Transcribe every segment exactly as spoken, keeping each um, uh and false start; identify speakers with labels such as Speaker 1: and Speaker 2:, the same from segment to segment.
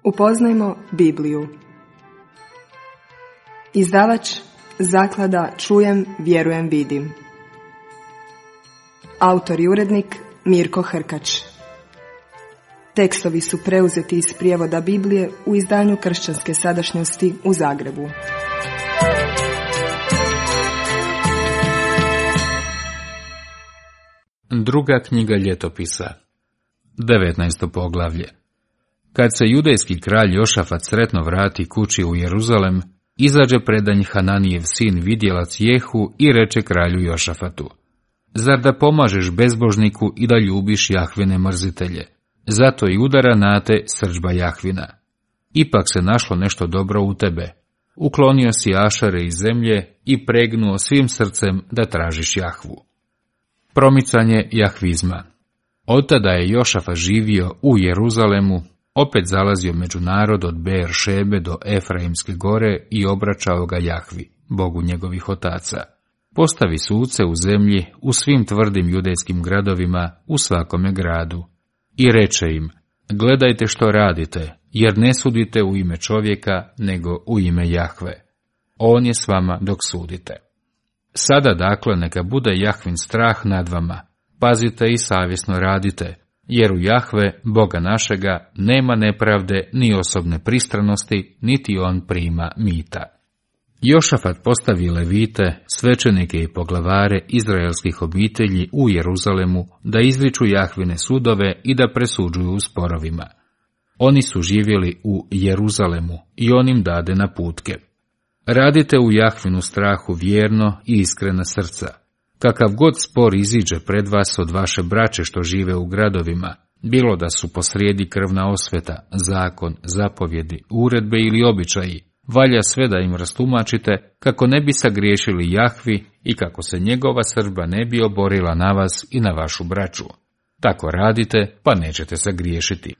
Speaker 1: Upoznajmo Bibliju. Izdavač Zaklada Čujem, vjerujem, vidim. Autor i urednik Mirko Hrkač. Tekstovi su preuzeti iz prijevoda Biblije u izdanju Kršćanske sadašnjosti u Zagrebu.
Speaker 2: Druga knjiga ljetopisa, devetnaesto poglavlje. Kad se judejski kralj Jošafat sretno vrati kući u Jeruzalem, izađe predanj Hananijev sin vidjelac Jehu i reče kralju Jošafatu: Zar da pomažeš bezbožniku i da ljubiš Jahvine mrzitelje? Zato i udara na te srdžba Jahvina. Ipak se našlo nešto dobro u tebe. Uklonio si Ašare iz zemlje i pregnuo svim srcem da tražiš Jahvu. Promicanje jahvizma. Od tada je Jošafat živio u Jeruzalemu, opet zalazio među narod od Beer Šebe do Efraimske gore i obraćao ga Jahvi, Bogu njegovih otaca. Postavi suce u zemlji, u svim tvrdim judejskim gradovima, u svakome gradu. I reče im: Gledajte što radite, jer ne sudite u ime čovjeka, nego u ime Jahve. On je s vama dok sudite. Sada dakle neka bude Jahvin strah nad vama, pazite i savjesno radite, jer u Jahve, Boga našega, nema nepravde ni osobne pristranosti, niti on prima mita. Jošafat postavi levite, svećenike i poglavare izraelskih obitelji u Jeruzalemu da izriču Jahvine sudove i da presuđuju u sporovima. Oni su živjeli u Jeruzalemu i on im dade naputke: Radite u Jahvinu strahu vjerno i iskrena srca. Kakav god spor iziđe pred vas od vaše braće što žive u gradovima, bilo da su posrijedi krvna osveta, zakon, zapovjedi, uredbe ili običaji, valja sve da im rastumačite kako ne bi sagriješili Jahvi i kako se njegova srdba ne bi oborila na vas i na vašu braću. Tako radite, pa nećete sagriješiti.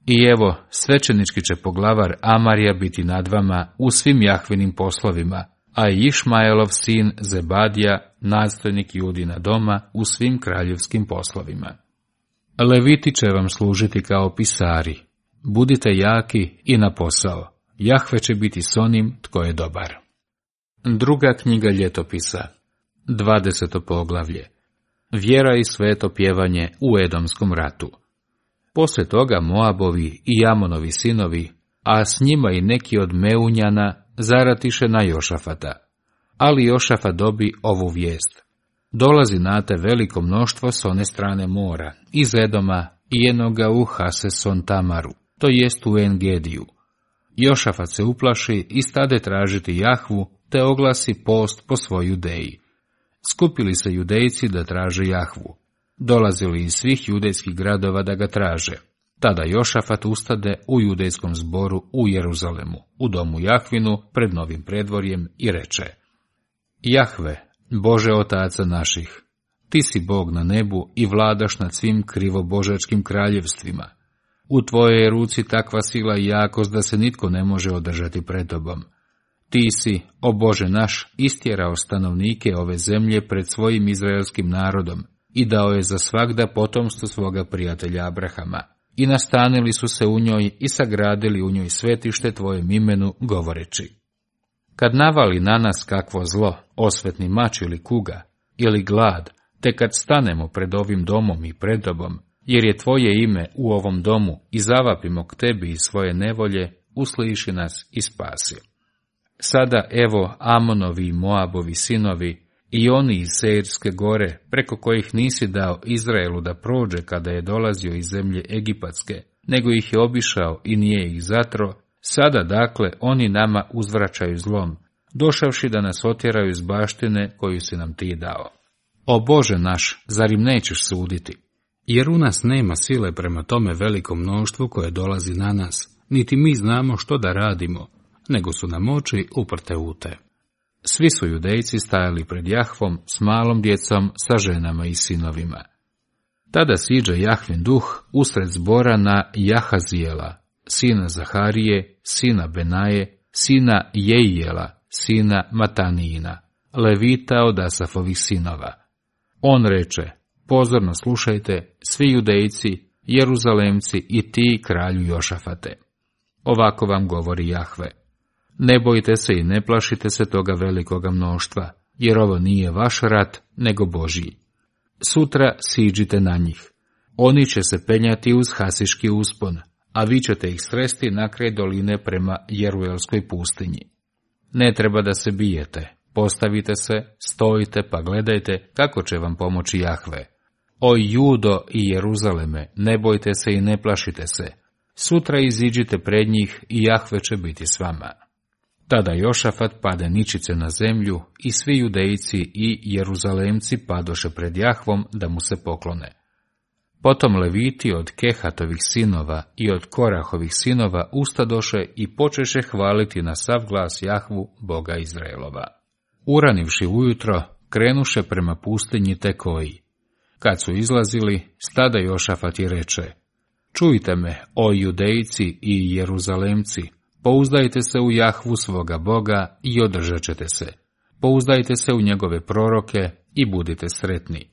Speaker 2: I evo, svećenički će poglavar Amarija biti nad vama u svim Jahvinim poslovima, a i Išmaelov sin Zebadija, nadstojnik Judina doma, u svim kraljevskim poslovima. Leviti će vam služiti kao pisari. Budite jaki i na posao. Jahve će biti s onim tko je dobar. Druga knjiga ljetopisa, dvadeseto poglavlje. Vjera i sveto pjevanje u Edomskom ratu. Poslije toga Moabovi i Amonovi sinovi, a s njima i neki od Meunjana, zaratiše na Jošafata. Ali Jošafat dobi ovu vijest: Dolazi na te veliko mnoštvo s one strane mora, iz Edoma i jednoga u Haseson Tamaru, to jest u Engediju. Jošafat se uplaši i stade tražiti Jahvu, te oglasi post po svoj Judeji. Skupili se Judejci da traže Jahvu. Dolazili iz svih judejskih gradova da ga traže. Tada Jošafat ustade u judejskom zboru u Jeruzalemu, u domu Jahvinu, pred novim predvorjem i reče: Jahve, Bože otaca naših, ti si Bog na nebu i vladaš nad svim krivobožačkim kraljevstvima. U tvojoj je ruci takva sila i jakost da se nitko ne može održati pred tobom. Ti si, o Bože naš, istjerao stanovnike ove zemlje pred svojim izraelskim narodom i dao je za svagda potomstvo svoga prijatelja Abrahama. I nastanili su se u njoj i sagradili u njoj svetište tvojem imenu, govoreći: Kad navali na nas kakvo zlo, osvetni mač ili kuga, ili glad, te kad stanemo pred ovim domom i pred tobom, jer je tvoje ime u ovom domu i zavapimo k tebi iz svoje nevolje, usliši nas i spasi. Sada evo Amonovi i Moabovi sinovi i oni iz Seirske gore, preko kojih nisi dao Izraelu da prođe kada je dolazio iz zemlje Egipatske, nego ih je obišao i nije ih zatro, sada dakle oni nama uzvraćaju zlom, došavši da nas otjeraju iz baštine koju si nam ti dao. O Bože naš, zar im nećeš suditi? Jer u nas nema sile prema tome velikom mnoštvu koje dolazi na nas, niti mi znamo što da radimo, nego su nam oči uprte u te. Svi su Judejci stajali pred Jahvom s malom djecom, sa ženama i sinovima. Tada siđe Jahvin duh usred zbora na Jahazijela, sina Zaharije, sina Benaje, sina Jejijela, sina Matanijina, levita od Asafovih sinova. On reče: Pozorno slušajte, svi Judejci, Jeruzalemci i ti, kralju Jošafate. Ovako vam govori Jahve. Ne bojte se i ne plašite se toga velikoga mnoštva, jer ovo nije vaš rat, nego Božji. Sutra siđite na njih. Oni će se penjati uz Hasiški uspon, a vi ćete ih sresti na kraj doline prema Jeruelskoj pustinji. Ne treba da se bijete, postavite se, stojite pa gledajte kako će vam pomoći Jahve. O Judo i Jeruzaleme, ne bojte se i ne plašite se. Sutra iziđite pred njih i Jahve će biti s vama. Tada Jošafat pade ničice na zemlju i svi Judejci i Jeruzalemci padoše pred Jahvom da mu se poklone. Potom Leviti od Kehatovih sinova i od Korahovih sinova ustadoše i počeše hvaliti na sav glas Jahvu, Boga Izraelova. Uranivši ujutro, krenuše prema pustinji Tekoji. Kad su izlazili, stada Jošafat i reče: Čujte me, o Judejci i Jeruzalemci, pouzdajte se u Jahvu svoga Boga i održat ćete se. Pouzdajte se u njegove proroke i budite sretni.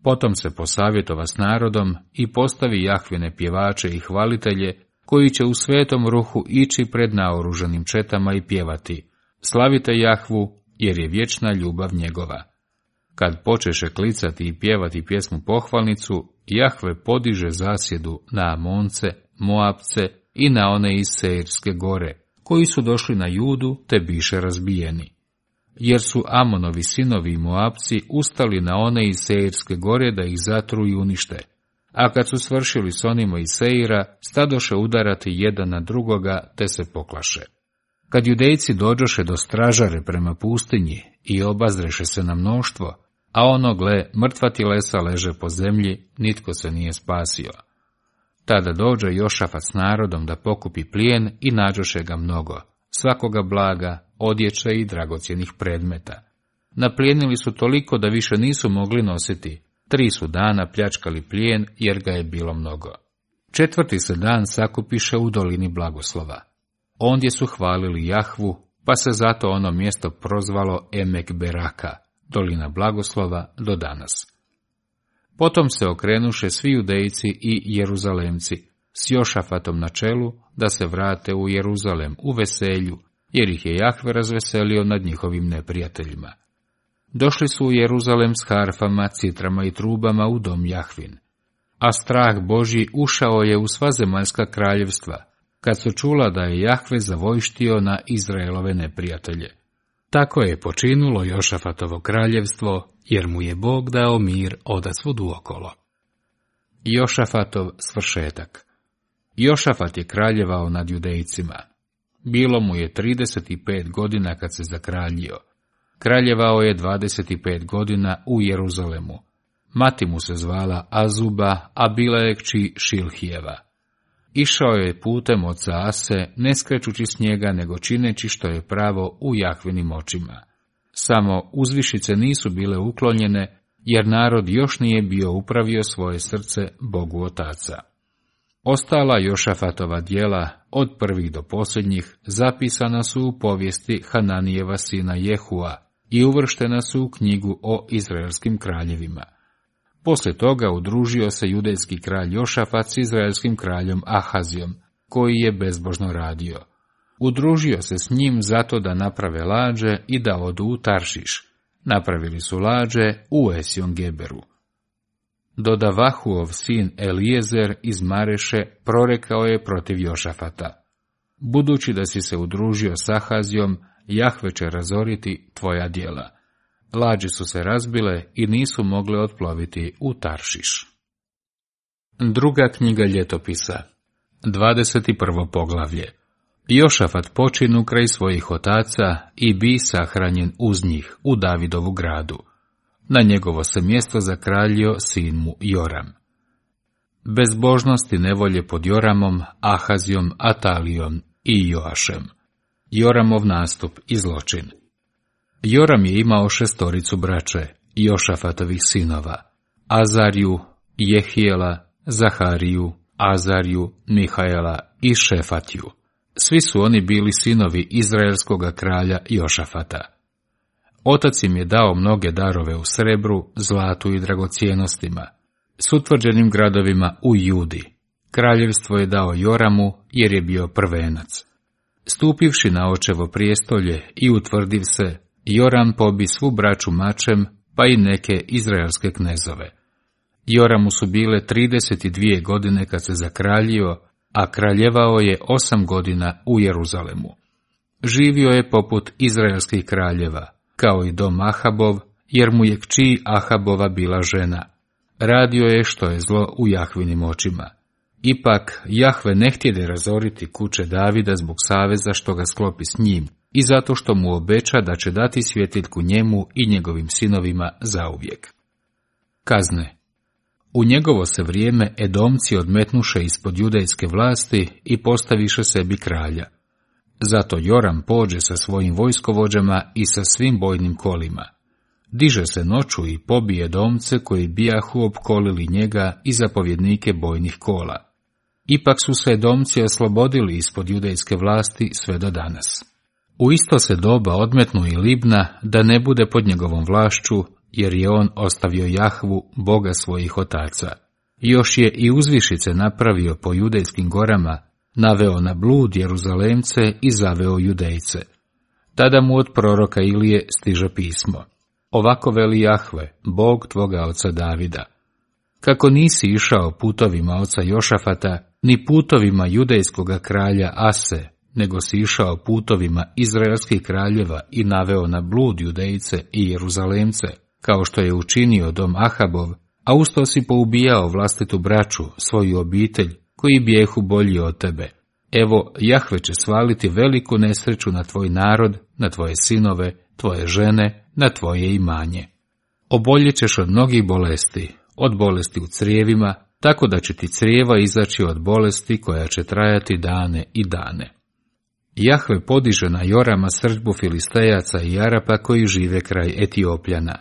Speaker 2: Potom se posavjetova s narodom i postavi Jahvine pjevače i hvalitelje, koji će u svetom ruhu ići pred naoružanim četama i pjevati: Slavite Jahvu, jer je vječna ljubav njegova. Kad počeše klicati i pjevati pjesmu pohvalnicu, Jahve podiže zasjedu na Amonce, Moabce i na one iz Seirske gore, koji su došli na Judu te biše razbijeni. Jer su Amonovi sinovi i Moabci ustali na one iz Seirske gore da ih zatru i unište, a kad su svršili s onima iz Seira, stadoše udarati jedan na drugoga te se poklaše. Kad Judejci dođoše do stražare prema pustinji i obazreše se na mnoštvo, a ono, gle, mrtva tilesa leže po zemlji, nitko se nije spasio. Tada dođe Jošafat s narodom da pokupi plijen i nađoše ga mnogo, svakoga blaga, odjeće i dragocjenih predmeta. Naplijenili su toliko da više nisu mogli nositi, tri su dana pljačkali plijen jer ga je bilo mnogo. Četvrti se dan sakupiše u dolini Blagoslova. Ondje su hvalili Jahvu, pa se zato ono mjesto prozvalo Emek Beraka, dolina Blagoslova, do danas. Potom se okrenuše svi Judejci i Jeruzalemci, s Jošafatom na čelu, da se vrate u Jeruzalem u veselju, jer ih je Jahve razveselio nad njihovim neprijateljima. Došli su u Jeruzalem s harfama, citrama i trubama u dom Jahvin. A strah Božji ušao je u sva zemaljska kraljevstva, kad su čula da je Jahve zavojštio na Izraelove neprijatelje. Tako je počinulo Jošafatovo kraljevstvo, jer mu je Bog dao mir odasvud uokolo. Jošafatov svršetak. Jošafat je kraljevao nad Judejcima. Bilo mu je trideset pet godina kad se zakraljio. Kraljevao je dvadeset pet godina u Jeruzalemu. Mati mu se zvala Azuba, a bila je kći Šilhijeva. Išao je putem oca Ase, ne skrećući s njega, nego čineći što je pravo u Jahvinim očima. Samo uzvišice nisu bile uklonjene, jer narod još nije bio upravio svoje srce Bogu Otaca. Ostala Jošafatova djela, od prvih do posljednjih, zapisana su u povijesti Hananijeva sina Jehua i uvrštena su u knjigu o izraelskim kraljevima. Poslije toga udružio se judejski kralj Jošafat s izraelskim kraljom Ahazijom, koji je bezbožno radio. Udružio se s njim zato da naprave lađe i da odu u Taršiš. Napravili su lađe u Esjon Geberu. Dodavahuov sin Elijezer iz Mareše prorekao je protiv Jošafata: Budući da si se udružio s Ahazijom, Jahve će razoriti tvoja djela. Lađe su se razbile i nisu mogle otploviti u Taršiš. Druga knjiga ljetopisa, dvadeset prvo poglavlje. Jošafat počinu kraj svojih otaca i bi sahranjen uz njih u Davidovu gradu. Na njegovo se mjesto zakraljio sin mu Joram. Bezbožnost i nevolje pod Joramom, Ahazijom, Atalijom i Joašem. Joramov nastup i zločin. Joram je imao šestoricu braće, Jošafatovih sinova, Azariju, Jehijela, Zahariju, Azariju, Mihaela i Šefatiju. Svi su oni bili sinovi izraelskoga kralja Jošafata. Otac im je dao mnoge darove u srebru, zlatu i dragocjenostima, s utvrđenim gradovima u Judi, Kraljevstvo je dao Joramu jer je bio prvenac. Stupivši na očevo prijestolje i utvrdiv se, Joram pobi svu braću mačem, pa i neke izraelske knezove. Joramu su bile trideset dvije godine kad se zakraljio, a kraljevao je osam godina u Jeruzalemu. Živio je poput izraelskih kraljeva, kao i dom Ahabov, jer mu je kći Ahabova bila žena. Radio je što je zlo u Jahvinim očima. Ipak, Jahve ne htjede razoriti kuće Davida zbog saveza što ga sklopi s njim i zato što mu obeća da će dati svjetiljku njemu i njegovim sinovima zauvijek. Kazne. U njegovo se vrijeme Edomci odmetnuše ispod judejske vlasti i postaviše sebi kralja. Zato Joram pođe sa svojim vojskovođama i sa svim bojnim kolima. Diže se noću i pobije Edomce koji bijahu opkolili njega i zapovjednike bojnih kola. Ipak su se Edomci oslobodili ispod judejske vlasti sve do danas. U isto se doba odmetnu i Libna da ne bude pod njegovom vlašću, jer je on ostavio Jahvu, Boga svojih otaca. Još je i uzvišice napravio po judejskim gorama, naveo na blud Jeruzalemce i zaveo Judejce. Tada mu od proroka Ilije stiže pismo. Ovako veli Jahve, Bog tvoga oca Davida. Kako nisi išao putovima oca Jošafata, ni putovima judejskoga kralja Ase, nego si išao putovima izraelskih kraljeva i naveo na blud Judejce i Jeruzalemce, kao što je učinio dom Ahabov, a usto si poubijao vlastitu braću, svoju obitelj, koji bijehu bolji od tebe. Evo, Jahve će svaliti veliku nesreću na tvoj narod, na tvoje sinove, tvoje žene, na tvoje imanje. Oboljet ćeš od mnogih bolesti, od bolesti u crijevima, tako da će ti crijeva izaći od bolesti koja će trajati dane i dane. Jahve podiže na Jorama srdbu Filistejaca i Arapa koji žive kraj Etiopljana.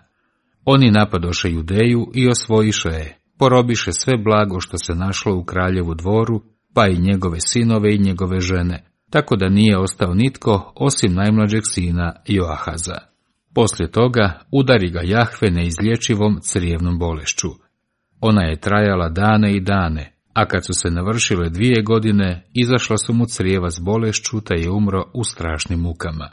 Speaker 2: Oni napadoše Judeju i osvojiše je, porobiše sve blago što se našlo u kraljevu dvoru, pa i njegove sinove i njegove žene, tako da nije ostao nitko osim najmlađeg sina Joahaza. Poslije toga udari ga Jahve neizlječivom crijevnom bolešću. Ona je trajala dane i dane, a kad su se navršile dvije godine, izašla su mu crijeva s bolešću, te je umro u strašnim mukama.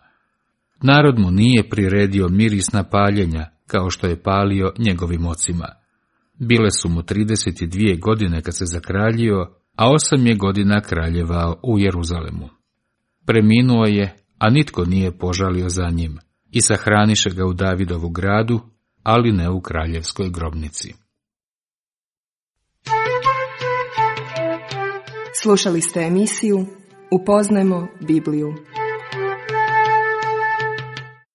Speaker 2: Narod mu nije priredio mirisna paljenja, kao što je palio njegovim ocima. Bile su mu trideset dvije godine kad se zakraljio, a osam je godina kraljevao u Jeruzalemu. Preminuo je, a nitko nije požalio za njim, i sahraniše ga u Davidovu gradu, ali ne u kraljevskoj grobnici.
Speaker 1: Slušali ste emisiju Upoznajmo Bibliju.